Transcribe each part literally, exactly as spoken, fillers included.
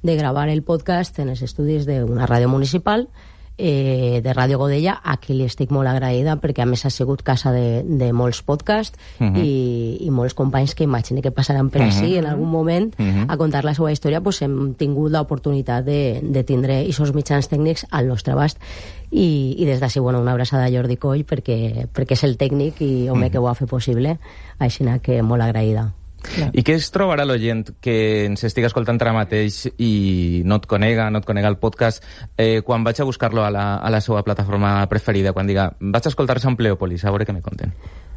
de gravar el podcast en els estudis d'una ràdio municipal, eh, de Ràdio Godella, a qui li estic molt agraïda, perquè a més ha sigut casa de, de molts podcasts uh -huh. i, i molts companys que imagino que passaran per uh -huh. així en algun moment uh -huh. a contar la seva història, pues hem tingut l'oportunitat de, de tindre aquests mitjans tècnics al nostre abast. I, i des d'ací, bueno, una abraçada a Jordi Coll, perquè, perquè és el tècnic i home uh -huh. que ho ha fet possible, així que molt agraïda. Clar. I què es trobarà l'oient que ens estiga escoltant ara mateix i no et conega, no et conega el podcast, eh, quan vaig a buscar-lo a la, a la seva plataforma preferida, quan diga, vaig a escoltar Sampleòpolis, a veure què me conten?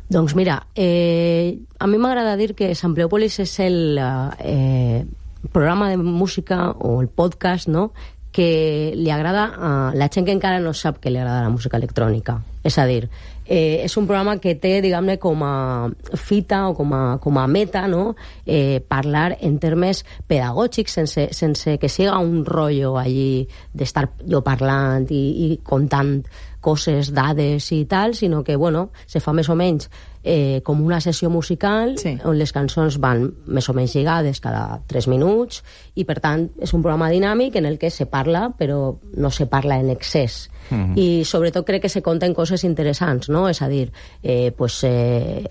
Doncs mira, eh, a mi m'agrada dir que Sampleòpolis és el eh, programa de música o el podcast, no?, que li agrada a la gent que encara no sap que li agrada la música electrònica. És a dir, eh, és un programa que té, diguem-ne, com a fita o com a, com a meta, no?, eh, parlar en termes pedagògics, sense, sense que siga un rotllo allí d'estar jo parlant i, i contant coses, dades i tal, sinó que, bueno, se fa més o menys eh, com una sessió musical, sí, on les cançons van més o menys lligades cada tres minuts, i per tant és un programa dinàmic en el que se parla, però no se parla en excés. Mm-hmm. I sobretot crec que se conten coses interessants, no? És a dir, eh, pues, eh,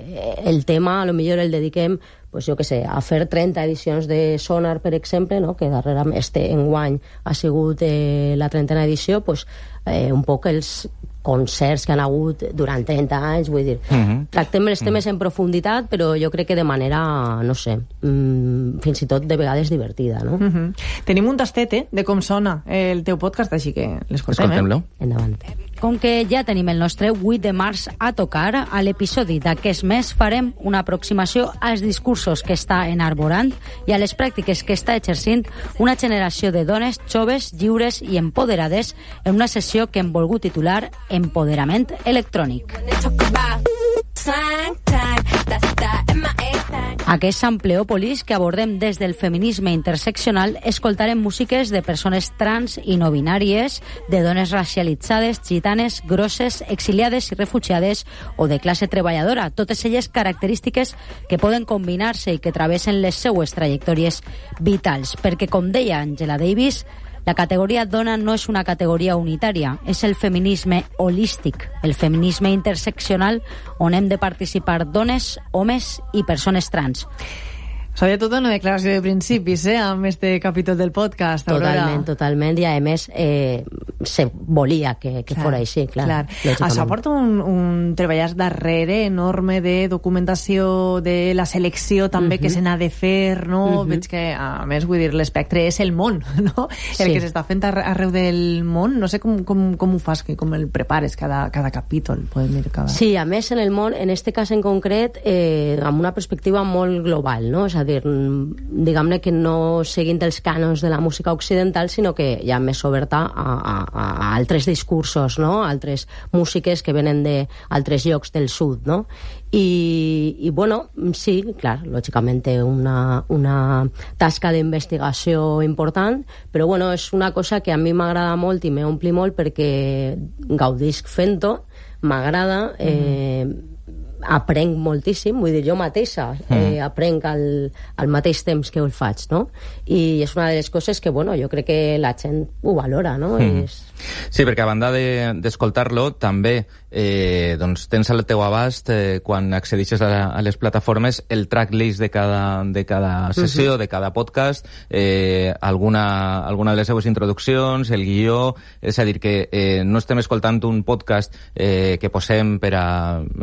el tema a lo millor el dediquem, pues, jo que sé, a fer trenta edicions de Sonar, per exemple, no?, que darrere este enguany ha sigut eh, la trentena edició, pues, eh, un poc els concerts que han hagut durant trenta anys, vull dir, mm-hmm. tractem els temes mm-hmm. en profunditat, però jo crec que de manera, no sé, mmm, fins i tot de vegades divertida, no? Mm-hmm. Tenim un tastet, eh, de com sona el teu podcast, així que l'escoltem, Escoltem-lo. eh? Endavant. Com que ja tenim el nostre vuit de març a tocar, a l'episodi d'aquest mes farem una aproximació als discursos que està enarborant i a les pràctiques que està exercint una generació de dones joves, lliures i empoderades en una sessió que hem volgut titular Empoderament electrònic. Aquest Sampleòpolis que abordem des del feminisme interseccional, escoltarem músiques de persones trans i no binàries, de dones racialitzades, gitanes, grosses, exiliades i refugiades o de classe treballadora, totes elles característiques que poden combinar-se i que travessen les seues trajectòries vitals, perquè, com deia Angela Davis, la categoria dona no és una categoria unitària, és el feminisme holístic, el feminisme interseccional on hem de participar dones, homes i persones trans. Sabia tota una declaració de principis, eh, amb este capítol del podcast, Aurora. Totalment, totalment, i a més eh, se volia que, que clar, fora així, clar. clar. Això porta un, un treballar darrere enorme de documentació, de la selecció també uh-huh. que se n'ha de fer, no? Uh-huh. Veig que, a més, vull dir, l'espectre és el món, no? Sí. El que s'està fent arreu del món. No sé com, com, com ho fas, com el prepares cada, cada capítol. Podem dir cada... Sí, a més, en el món, en este cas en concret, eh, amb una perspectiva molt global, no? És a dir, diguem-ne que no seguint els cànons de la música occidental, sinó que ja més oberta a, a, a altres discursos, no? Altres músiques que venen d'altres llocs del sud, no? I, i bueno, sí, clar, lògicament té una, una tasca d'investigació important, però bueno, és una cosa que a mi m'agrada molt i m'ompli molt perquè gaudisc fent-ho, m'agrada, eh, mm. aprenc moltíssim, vull dir, jo mateixa eh, aprenc al, al mateix temps que ho faig, no? I és una de les coses que, bueno, jo crec que la gent ho valora, no? Mm. És... Sí, perquè a banda d'escoltar-lo, de, també eh, doncs tens al teu abast, eh, quan accedixes a, a les plataformes, el tracklist de cada, de cada sessió, uh-huh. de cada podcast, eh, alguna, alguna de les seues introduccions, el guió, és a dir, que eh, no estem escoltant un podcast eh, que posem per a,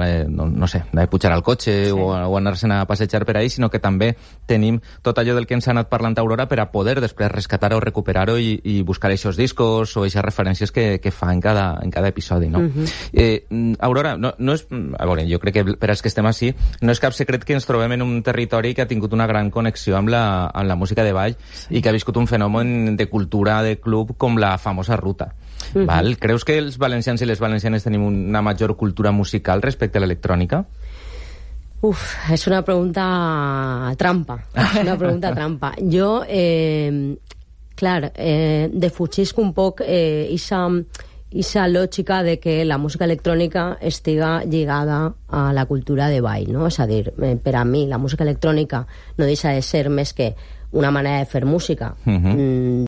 eh, no, no sé, de pujar al cotxe, sí, o, o anar-se'n a passejar per ahí, sinó que també tenim tot allò del que ens ha anat parlant Aurora per a poder després rescatar-ho, recuperar-ho i, i buscar aquests discos o aquestes referències que, que fa en cada, en cada episodi, no? Uh-huh. Eh, Aurora, no, no és... A veure, jo crec que per als que estem així, no és cap secret que ens trobem en un territori que ha tingut una gran connexió amb la, amb la música de ball, sí, i que ha viscut un fenomen de cultura de club com la famosa ruta. Uh-huh. Val? Creus que els valencians i les valencianes tenim una major cultura musical respecte a l'electrònica? Uf, és una pregunta trampa. És una pregunta trampa. Jo, eh, clar, eh, defugisc un poc eh, isa, isa lògica de que la música electrònica estiga lligada a la cultura de ball, no? És a dir, eh, per a mi la música electrònica no deixa de ser més que una manera de fer música. Uh-huh. mm,